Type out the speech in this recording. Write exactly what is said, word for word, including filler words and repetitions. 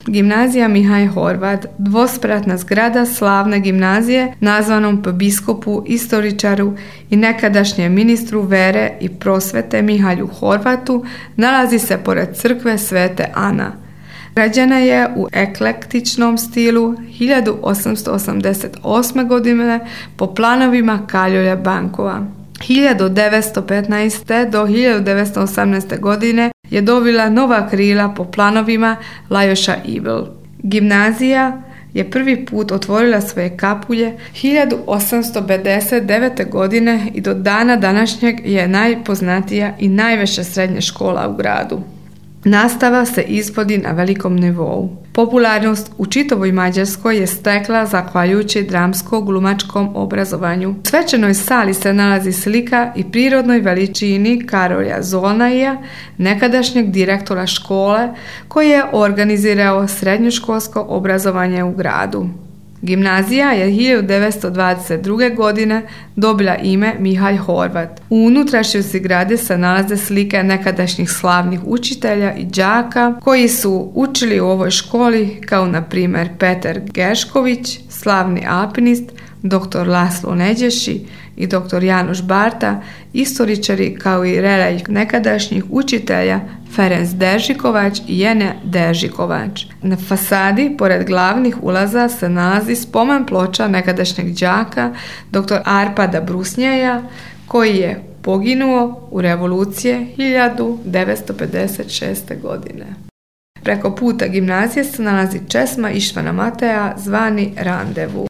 Gimnazija Mihaj Horvat, dvospratna zgrada slavne gimnazije nazvanom po biskupu, istoričaru i nekadašnjem ministru vere i prosvete Mihalju Horvatu, nalazi se pored crkve Svete Ana. Građena je u eklektičnom stilu hiljadu osamsto osamdeset osme. godine po planovima Kaljolja Bankova. hiljadu devetsto petnaeste. do hiljadu devetsto osamnaeste. godine je dobila nova krila po planovima Lajoša Ibl. Gimnazija je prvi put otvorila svoje kapulje hiljadu osamsto pedeset devete. godine i do dana današnjeg je najpoznatija i najveća srednja škola u gradu. Nastava se izvodi na velikom nivou. Popularnost u čitavoj Mađarskoj je stekla zahvaljujući dramsko-glumačkom obrazovanju. U svečanoj sali se nalazi slika i prirodnoj veličini Karolja Zolnaja, nekadašnjeg direktora škole, koji je organizirao srednjoškolsko obrazovanje u gradu. Gimnazija je hiljadu devetsto dvadeset druge. godine dobila ime Mihaj Horvat. U unutrašnjosti zgrade se nalaze slike nekadašnjih slavnih učitelja i đaka koji su učili u ovoj školi, kao na primjer Petar Gešković, slavni alpinist, doktor Laslo Neđeši i doktor Janoš Barta, istoričari kao i relej nekadašnjih učitelja Ferenc Deržikovač i Jene Deržikovač. Na fasadi, pored glavnih ulaza, se nalazi spomen ploča nekadašnjeg đaka doktor Arpada Brusnjaja, koji je poginuo u revolucije hiljadu devetsto pedeset šeste. godine. Preko puta gimnazije se nalazi česma Ištvana Mateja, zvani Randevu.